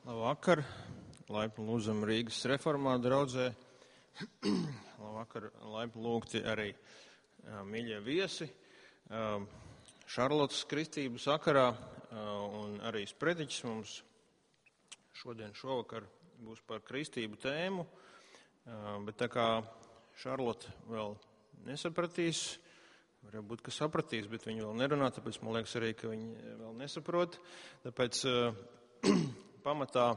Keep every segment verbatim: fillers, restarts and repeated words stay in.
Labvakar, laipni lūdzam Rīgas reformātu draudzē. Labvakar, laipni lūgti arī uh, mīļie viesi. Uh, Šarlotas kristību sakarā uh, un arī sprediķis mums šodien šovakar būs par kristību tēmu, uh, bet tā kā Šarlota vēl nesapratīs, varbūt, ka sapratīs, bet viņi vēl nerunā, tāpēc man liekas arī, ka viņi vēl nesaprot. Tāpēc uh, pamatā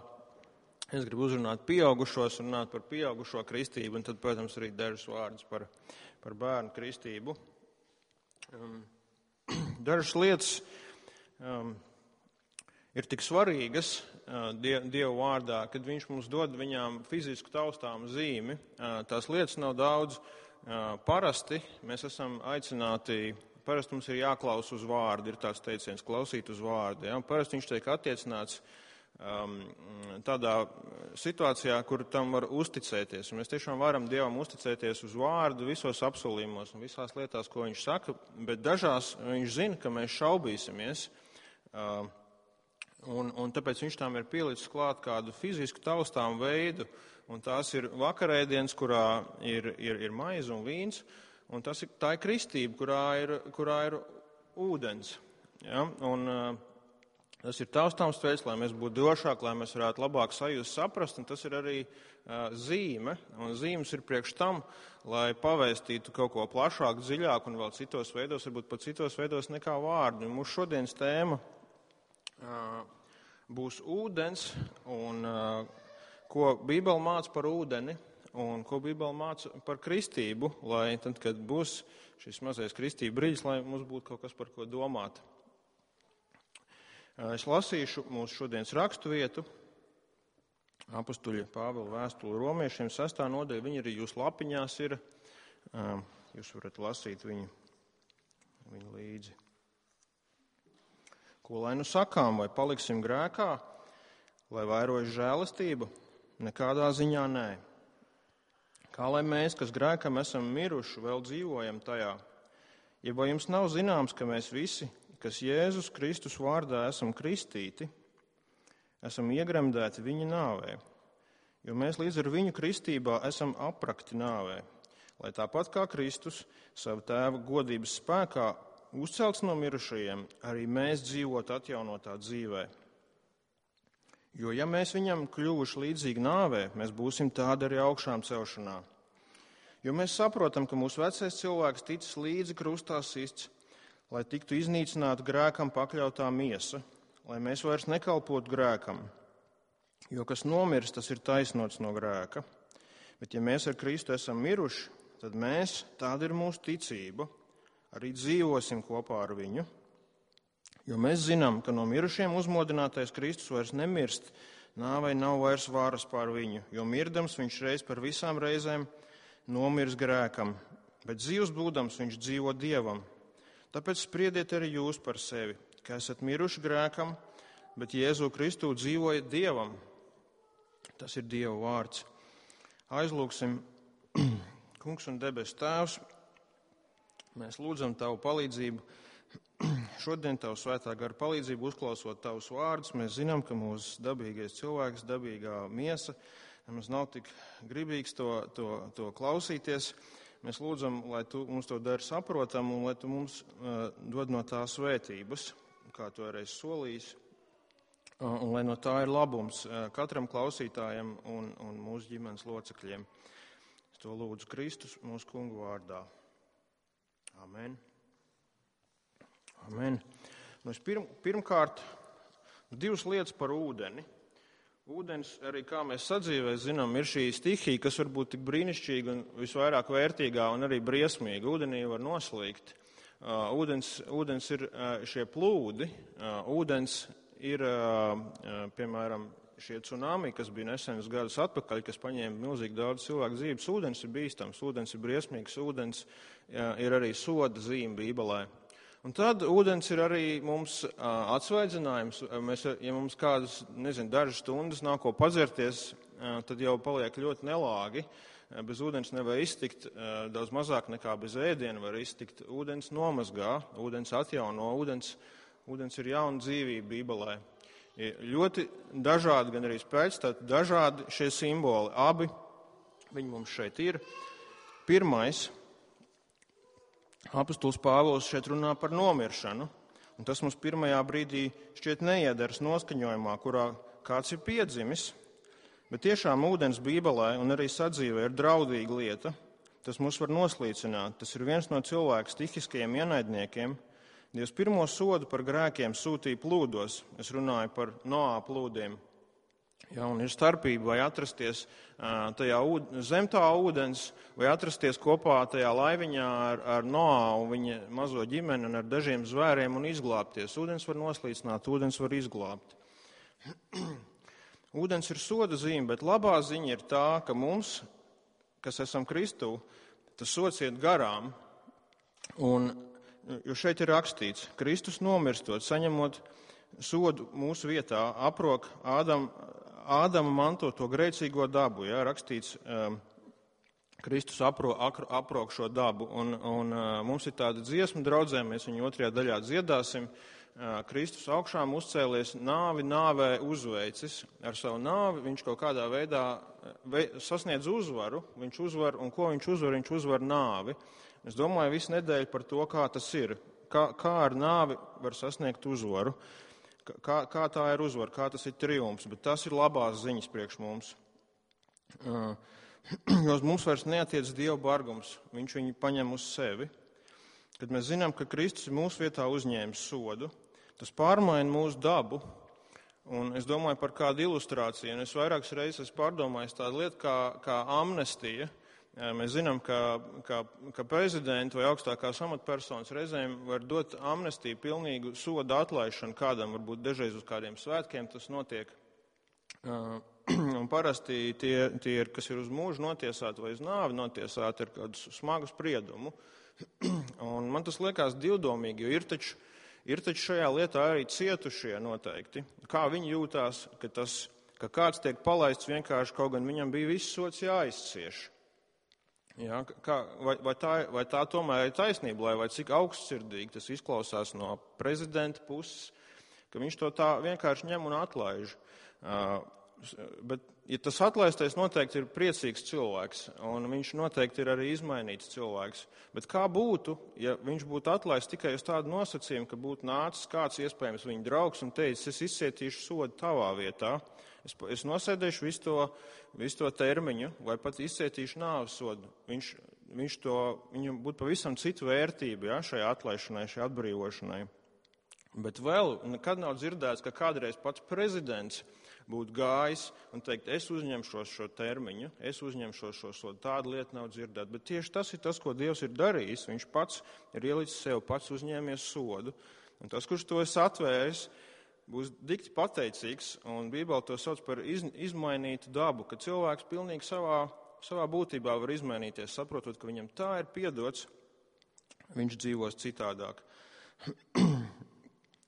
es gribu uzrunāt pieaugušos, runāt par pieaugušo kristību, un tad, protams, arī dažus vārdus par, par bērnu kristību. Um, dažas lietas um, ir tik svarīgas uh, die, Dievu vārdā, kad viņš mums dod viņām fizisku taustāmu zīmi. Uh, tās lietas nav daudz. Uh, parasti mēs esam aicināti, parasti mums ir jāklaus uz vārdu, ir tāds teiciens, klausīt uz vārdu. Ja? Parasti viņš tiek attiecināts um, tādā situācijā, kur tam var uzticēties. Un mēs tiešām varam Dievam uzticēties uz vārdu visos apsolījumos un visās lietās, ko viņš saka, bet dažās viņš zina, ka mēs šaubīsimies. Uh, un, un tāpēc viņš tam ir pielicis klāt kādu fizisku taustām veidu. Un tās ir vakarēdienas, kurā ir, ir, ir maize un vīns, un tas ir, tā ir kristība, kurā ir, kurā ir ūdens. Ja? Un uh, tas ir taustāms veids, lai mēs būtu drošāki, lai mēs varētu labāk sajust, saprast, un tas ir arī uh, zīme. Un zīmes ir priekš tam, lai pavēstītu kaut ko plašāku, dziļāku un vēl citos veidos, varbūt pat citos veidos nekā vārdu. Un mūsu šodienas tēma uh, būs ūdens un uh, ko Bībele māca par ūdeni un ko Bībele māca par kristību, lai tad, kad būs šis mazais kristība brīdis, lai mums būtu kaut kas par ko domāt. Es lasīšu mūsu šodienas rakstu vietu, apustuļa Pāvila vēstuli romiešiem, sestā nodaļa, viņi arī jūsu lapiņās ir, jūs varat lasīt viņu, viņu līdzi. Ko lai nu sakām, vai paliksim grēkā, lai vairojas žēlastība? Nekādā ziņā nē. Kā lai mēs, kas grēkam esam miruši, vēl dzīvojam tajā? Ja vai jums nav zināms, ka mēs visi, kas Jēzus Kristus vārdā esam kristīti, esam iegremdēti viņa nāvē, jo mēs līdz ar viņu kristībā esam aprakti nāvē, lai tāpat kā Kristus savu tēva godības spēkā uzcelts no mirušajiem, arī mēs dzīvot atjaunotā dzīvē. Jo, ja mēs viņam kļuvuši līdzīgi nāvē, mēs būsim tādi arī augšām celšanā. Jo mēs saprotam, ka mūsu vecais cilvēks ticis līdzi krustā sists, lai tiktu iznīcināta grēkam pakļautā miesa, lai mēs vairs nekalpotu grēkam. Jo kas nomirst, tas ir taisnots no grēka. Bet ja mēs ar Kristu esam miruši, tad mēs, tāda ir mūsu ticība, arī dzīvosim kopā ar viņu. Jo mēs zinām, ka no mirušiem uzmodinātais Kristus vairs nemirst, nāvei nav vairs varas pār viņu, jo mirdams viņš reiz par visām reizēm nomirs grēkam, bet dzīvs būdams viņš dzīvo Dievam. Tāpēc spriediet arī jūs par sevi, ka esat miruši grēkam, bet Jēzu Kristu dzīvojat Dievam. Tas ir Dieva vārds. Aizlūksim, Kungs un debes Tēvs, mēs lūdzam Tavu palīdzību. Šodien Tavu svētā gara palīdzību uzklausot Tavus vārdus, mēs zinām, ka mūsu dabīgais cilvēks, dabīgā miesa, mums nav tik gribīgs to, to, to klausīties. Mēs lūdzam, lai Tu mums to dari saprotam un lai Tu mums uh, dod no tā svētības, kā Tu reiz solījis, uh, un lai no tā ir labums uh, katram klausītājam un, un mūsu ģimenes locekļiem. Es to lūdzu Kristus mūsu kungu vārdā. Amen. Amen. Nu, pirm, pirmkārt, divas lietas par ūdeni. Ūdens, arī kā mēs sadzīvē zinām, ir šī stihija, kas var būt tik brīnišķīga un visvairāk vērtīgā un arī briesmīga. Ūdenī var noslīgt. Uh, ūdens, ūdens ir uh, šie plūdi. Uh, ūdens ir, uh, uh, piemēram, šie tsunami, kas bija nesenus gadus atpakaļ, kas paņēma milzīgi daudz cilvēku dzīves. Ūdens ir bīstams, ūdens ir briesmīgs, ūdens uh, ir arī soda zīme Bībelē. Un tad ūdens ir arī mums uh, atsvaidzinājums. Mēs, ja mums kādas, nezinu, dažas stundas nav ko padzerties, uh, tad jau paliek ļoti nelāgi. Uh, bez ūdens nevar iztikt, uh, daudz mazāk nekā bez ēdiena var iztikt. Ūdens nomazgā, ūdens atjauno, ūdens, ūdens ir jauna dzīvība Bībelē. Ir ļoti dažādi, gan arī pēcstati, dažādi šie simboli. Abi viņi mums šeit ir. Pirmais, apostols Pāvils šeit runā par nomiršanu, un tas mums pirmajā brīdī šķiet neiedars noskaņojumā, kurā kāds ir piedzimis, bet tiešām ūdens Bībelē un arī sadzīvē ir draudīga lieta. Tas mūs var noslīcināt. Tas ir viens no cilvēka stihiskajiem ienaidniekiem. Dievs pirmo sodu par grēkiem sūtīja plūdos. Es runāju par Noā plūdiem. Ja, un ir starpība, vai atrasties tajā zem tā ūdens, vai atrasties kopā tajā laiviņā ar, ar Noā un viņa mazo ģimeni un ar dažiem zvēriem un izglābties. Ūdens var noslīcināt, ūdens var izglābt. Ūdens ir soda zīme, bet labā ziņa ir tā, ka mums, kas esam Kristū, tas sods iet garām. Un, jo šeit ir rakstīts, Kristus nomirstot, saņemot sodu mūsu vietā, aprok Ādam, Ādama mantoto grēcīgo dabu. Ja, rakstīts, um, Kristus apro, aprok šo dabu. Un, un uh, mums ir tāda dziesma draudzē, mēs viņu otrajā daļā dziedāsim. Uh, Kristus augšām uzcēlies, nāvi nāvē uzveicis. Ar savu nāvi viņš kaut kādā veidā vei, sasniedz uzvaru. Viņš uzvar, un ko viņš uzvar? Viņš uzvar nāvi. Es domāju visu nedēļu par to, kā tas ir. Kā, kā ar nāvi var sasniegt uzvaru. Kā, kā tā ir uzvara, kā tas ir triumfs, bet tas ir labās ziņas priekš mums. Uh, jo mums vairs neatiec Dieva bargums, viņš viņu paņem uz sevi. Kad mēs zinām, ka Kristus ir mūsu vietā uzņēmis sodu, tas pārmaina mūsu dabu. Un es domāju par kādu ilustrāciju, un es vairākas reizes esmu pārdomājis tādu lietu kā, kā amnestija. Mēs zinām, ka, ka, ka prezidenti vai augstākās amatpersonas reizēm var dot amnestiju, pilnīgu sodu atlaišanu kādam, varbūt dažreiz uz kādiem svētkiem tas notiek. Un parasti tie, tie, kas ir uz mūžu notiesāti vai uz nāvi notiesāti, ir kādu smagu spriedumu. Un man tas liekas divdomīgi, jo ir taču, ir taču šajā lietā arī cietušie noteikti. Kā viņi jūtās, ka, tas, ka kāds tiek palaists vienkārši, kaut gan viņam bija viss sods jāizcieš. Ja, kā, vai, vai, tā, vai tā tomēr ir taisnība, lai vai cik augstsirdīgi tas izklausās no prezidenta puses, ka viņš to tā vienkārši ņem un atlaiž. Uh, bet, ja tas atlaistais noteikti ir priecīgs cilvēks, un viņš noteikti ir arī izmainīts cilvēks, bet kā būtu, ja viņš būtu atlaists tikai uz tādu nosacījumu, ka būtu nācis kāds iespējams viņa draugs un teicis, es izcietīšu sodu tavā vietā, es, es nosēdēšu visu to, visu to termiņu, vai pat izcietīšu nāves sodu. Viņš, viņš to, viņam būtu pavisam citu vērtību, ja, šajā atlaišanai, šajā atbrīvošanai. Bet vēl nekad nav dzirdēts, ka kādreiz pats prezidents būtu gājis un teikt, es uzņemšos šo termiņu, es uzņemšos šo sodu. Tāda lieta nav dzirdēta. Bet tieši tas ir tas, ko Dievs ir darījis. Viņš pats ir ielicis sev, pats uzņēmies sodu. Un tas, kurš to es atvēris, būs dikti pateicīgs. Un Bībele to sauc par iz, izmainītu dabu, ka cilvēks pilnīgi savā, savā būtībā var izmainīties, saprotot, ka viņam tā ir piedots, viņš dzīvos citādāk.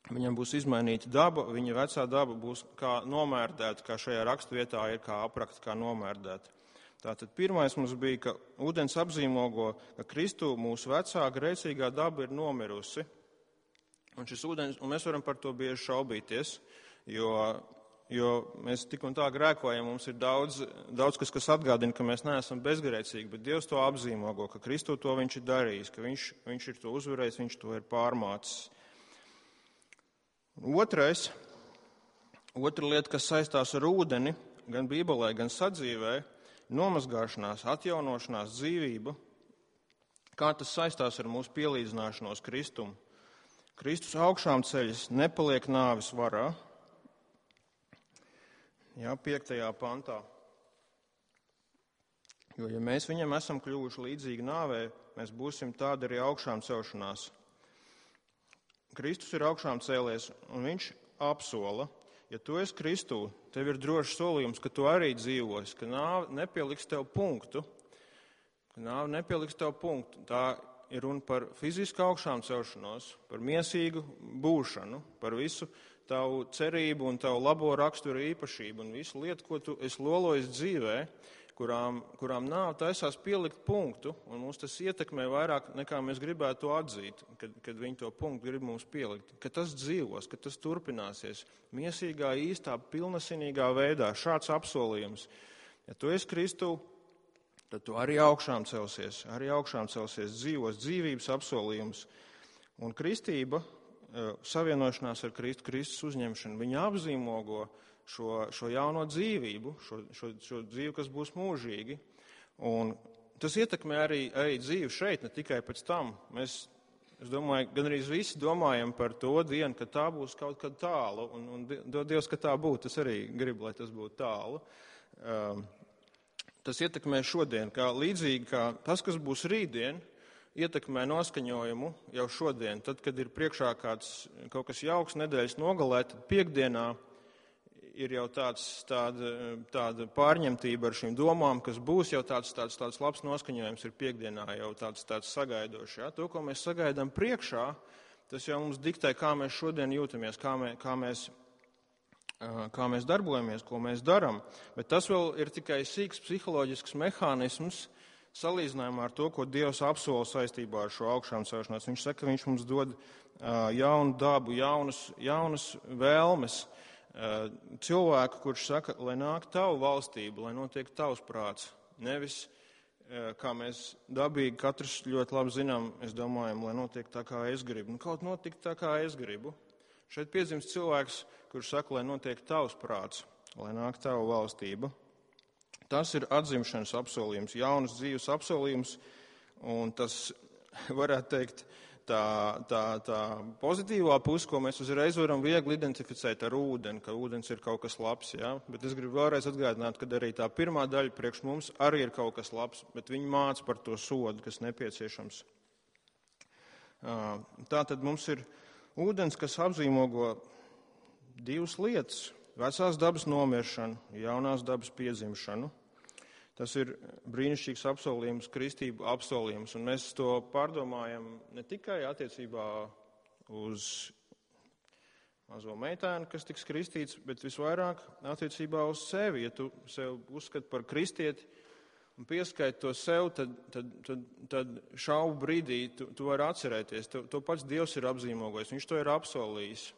Viņam būs izmainīta daba, viņa vecā daba būs kā nomērdēta, kā šajā raksturvietā ir kā aprakta, kā nomērdēta. Tātad pirmais mums bija, ka ūdens apzīmogo, ka Kristū mūsu vecā grēcīgā daba ir nomirusi. Un šis ūdens, un mēs varam par to bieži šaubīties, jo, jo mēs tik un tā grēkojam, mums ir daudz, daudz kas, kas atgādina, ka mēs neesam bezgrēcīgi, bet Dievs to apzīmogo, ka Kristū to viņš ir darījis, ka viņš, viņš ir to uzvarējis, viņš to ir pārmācis. Otrais, otra lieta, kas saistās ar ūdeni, gan Bībelē, gan sadzīvē, nomazgāšanās, atjaunošanās, dzīvība, kā tas saistās ar mūsu pielīdzināšanos Kristumu. Kristus augšām ceļas nepaliek nāves varā. Jā, piektajā pantā. Jo, ja mēs viņam esam kļuvuši līdzīgi nāvē, mēs būsim tādi arī augšām celšanās. Kristus ir augšām cēlies, un viņš apsola, ja tu esi Kristū, tev ir drošs solījums, ka tu arī dzīvosi, ka nāve nepieliks tev punktu, ka nāve nepieliks tev punktu. Tā ir runa par fizisku augšām celšanos, par miesīgu būšanu, par visu tavu cerību un tavu labo raksturu īpašību un visu lietu, ko tu esi lolojis dzīvē, kurām, kurām nav taisās pielikt punktu, un mums tas ietekmē vairāk nekā mēs gribētu to atzīt, kad, kad viņi to punktu grib mums pielikt. Ka tas dzīvos, ka tas turpināsies miesīgā, īstā, pilnasinīgā veidā. Šāds apsolījums. Ja tu esi Kristū, tad tu arī augšām celsies, arī augšām celsies dzīvos, dzīvības apsolījums. Un kristība, savienošanās ar Kristu, Kristus uzņemšanu, viņa apzīmogo Šo, šo jauno dzīvību, šo, šo, šo dzīvi, kas būs mūžīgi. Un tas ietekmē arī, arī dzīvi šeit, ne tikai pēc tam. Mēs, es domāju, gan arī visi domājam par to dienu, ka tā būs kaut kad tālu. Un, un dod Dievs, ka tā būtu. Es arī gribu, lai tas būtu tālu. Um, tas ietekmē šodien, kā līdzīgi kā tas, kas būs rītdien, ietekmē noskaņojumu jau šodien. Tad, kad ir priekšā kāds, kaut kas jauks nedēļas nogalē, tad piekdienā ir jau tāds, tāda, tāda pārņemtība ar šīm domām, kas būs jau tāds, tāds, tāds labs noskaņojums ir piekdienā, jau tāds, tāds sagaidošs. Ja? To, ko mēs sagaidām priekšā, tas jau mums diktē, kā mēs šodien jūtamies, kā, mē, kā, mēs, kā mēs darbojamies, ko mēs darām. Bet tas vēl ir tikai sīks psiholoģisks mehānisms salīdzinājumā ar to, ko Dievs apsola saistībā ar šo augšām celšanos. Viņš saka, ka viņš mums dod jaunu dabu, jaunas, jaunas vēlmes. Cilvēku, kurš saka, lai nāk tavu valstību, lai notiek tavs prāts. Nevis, kā mēs dabīgi katrs ļoti labi zinām, es domājam, lai notiek tā, kā es gribu. Nu, kaut notiek tā, kā es gribu. Šeit piedzimst cilvēks, kurš saka, lai notiek tavs prāts, lai nāk tavu valstība. Tas ir atzimšanas apsolījums, jaunas dzīves apsolījums, un tas, varētu teikt, Tā, tā, tā pozitīvā puse, ko mēs uzreiz varam viegli identificēt ar ūdeni, ka ūdens ir kaut kas labs, ja? Bet es gribu vēlreiz atgādināt, ka arī tā pirmā daļa priekš mums arī ir kaut kas labs, bet viņi māca par to sodu, kas nepieciešams. Tā tad mums ir ūdens, kas apzīmogo divas lietas - vecās dabas nomiršanu, jaunās dabas piedzimšanu. Tas ir brīnišķīgs apsolījums, kristību apsolījums, un mēs to pārdomājam ne tikai attiecībā uz mazo meitēnu, kas tiks kristīts, bet visvairāk attiecībā uz sevi. Ja tu sev uzskati par kristieti un pieskaiti to sev, tad, tad, tad, tad šaubu brīdī tu, tu vari atcerēties. To, to pats Dievs ir apzīmogojis, viņš to ir apsolījis,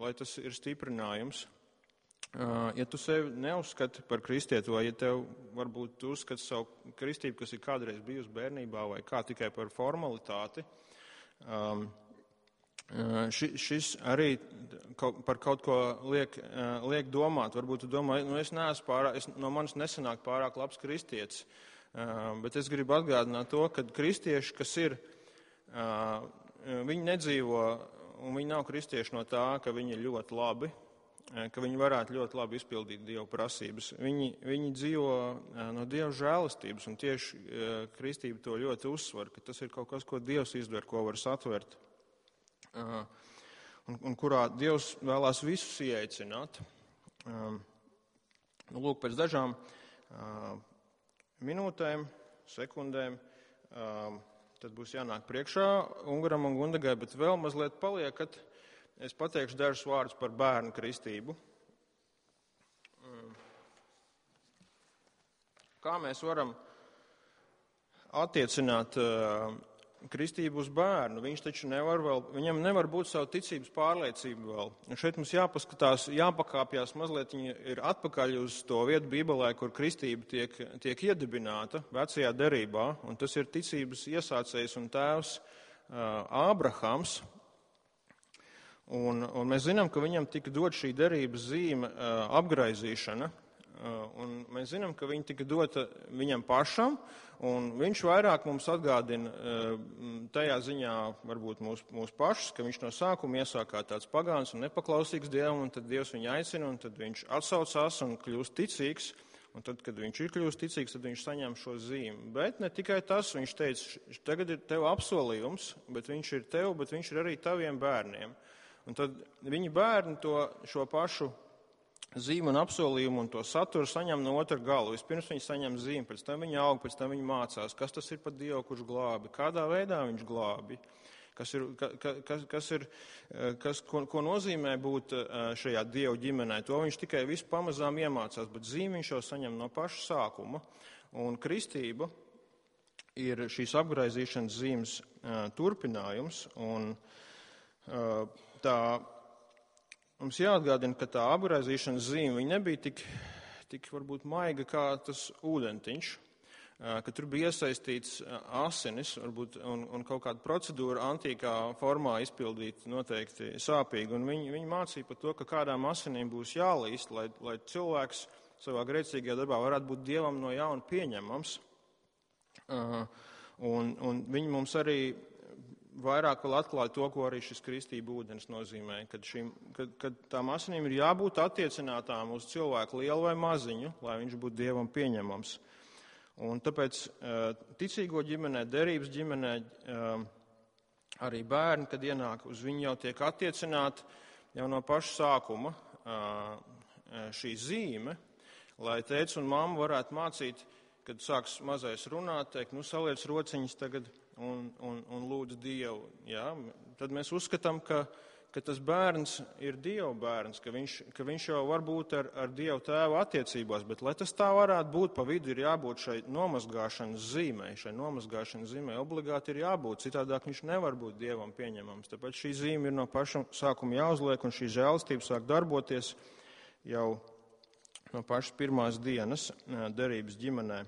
lai tas ir stiprinājums. Ja tu sevi neuzskati par kristieti, vai ja tev varbūt tu uzskati savu kristību, kas ir kādreiz bijusi bērnībā, vai kā tikai par formalitāti, um, ši, šis arī kaut, par kaut ko liek, liek domāt. Varbūt tu domā, nu es neesmu pārāk, es, no manis nesanāk pārāk labs kristietis, uh, bet es gribu atgādināt to, ka kristieši, kas ir, uh, viņi nedzīvo, un viņi nav kristieši no tā, ka viņi ir ļoti labi, ka viņi varētu ļoti labi izpildīt Dieva prasības. Viņi, viņi dzīvo no Dieva žēlastības, un tieši kristība to ļoti uzsver, ka tas ir kaut kas, ko Dievs izdver, ko var satvert, un, un kurā Dievs vēlās visus ieaicināt. Lūk, pēc dažām minūtēm, sekundēm, tad būs jānāk priekšā Ungaram un Gundagai, bet vēl mazliet paliekat. Es pateikšu dažus vārdus par bērnu kristību. Kā mēs varam attiecināt uh, kristību uz bērnu? Viņš taču nevar vēl, viņam nevar būt savu ticības pārliecību vēl. Un šeit mums jāpaskatās, jāpakāpjās mazliet, viņa ir atpakaļ uz to vietu Bībelē, kur kristība tiek, tiek iedibināta vecajā derībā, un tas ir ticības iesācējs un tēvs uh, Ābrahams. Un, un mēs zinām, ka viņam tika dot šī derības zīme uh, apgraizīšana, uh, un mēs zinām, ka viņa tika dota viņam pašam, un viņš vairāk mums atgādina uh, tajā ziņā varbūt mūs, mūs pašus, ka viņš no sākuma iesāk kā tāds pagāns un nepaklausīgs Dievam, un tad Dievs viņu aicina, un tad viņš atsaucās un kļūst ticīgs, un tad, kad viņš ir kļūst ticīgs, tad viņš saņem šo zīmi. Bet ne tikai tas, viņš teica, tagad ir tev apsolījums, bet viņš ir tev, bet viņš ir arī taviem bērniem. Un tad viņi bērni to, šo pašu zīmu un apsolījumu un to saturu saņem no otra gala. Vispirms viņi saņem zīmi, pēc tam viņi aug, pēc tam viņi mācās, kas tas ir par Dievu, kurš glābi, kādā veidā viņš glābi, kas, ir, kas, kas, ir, kas ko, ko nozīmē būt šajā Dieva ģimenē. To viņš tikai visu pamazām iemācās, bet zīmi viņš jau saņem no paša sākuma. Un kristība ir šīs apgraizīšanas zīmes turpinājums, un tā mums jāatgādina, ka tā apgraizīšanas zīme viņa nebija tik, tik varbūt maiga kā tas ūdentiņš, ka tur bija iesaistīts asinis varbūt, un, un kaut kāda procedūra antīkā formā izpildīt noteikti sāpīgi. Un viņi, viņi mācīja par to, ka kādām asinīm būs jālīst, lai, lai cilvēks savā grēcīgajā darbā varētu būt Dievam no jauna pieņemams. Uh, un, un viņi mums arī vairāk vēl atklāja to, ko arī šis kristība ūdens nozīmē, kad, šim, kad, kad tām asinīm ir jābūt attiecinātām uz cilvēku lielu vai maziņu, lai viņš būtu Dievam pieņemams. Un tāpēc ticīgo ģimenē, derības ģimenē arī bērni, kad ienāk uz viņu, jau tiek attiecināti jau no paša sākuma šī zīme, lai tēvs un mamma varētu mācīt, kad sāks mazais runāt, teikt, nu saliec rociņas tagad un, un, un lūdz Dievu. Jā? Tad mēs uzskatām, ka, ka tas bērns ir Dieva bērns, ka viņš, ka viņš jau var būt ar, ar Dievu tēvu attiecībās, bet lai tas tā varētu būt, pa vidu ir jābūt šai nomazgāšanas zīmei. Šai nomazgāšanas zīmei obligāti ir jābūt, citādāk viņš nevar būt Dievam pieņemams. Tāpēc šī zīme ir no paša sākuma jāuzliek, un šī žēlastība sāk darboties jau no pašas pirmās dienas derības ģimenē.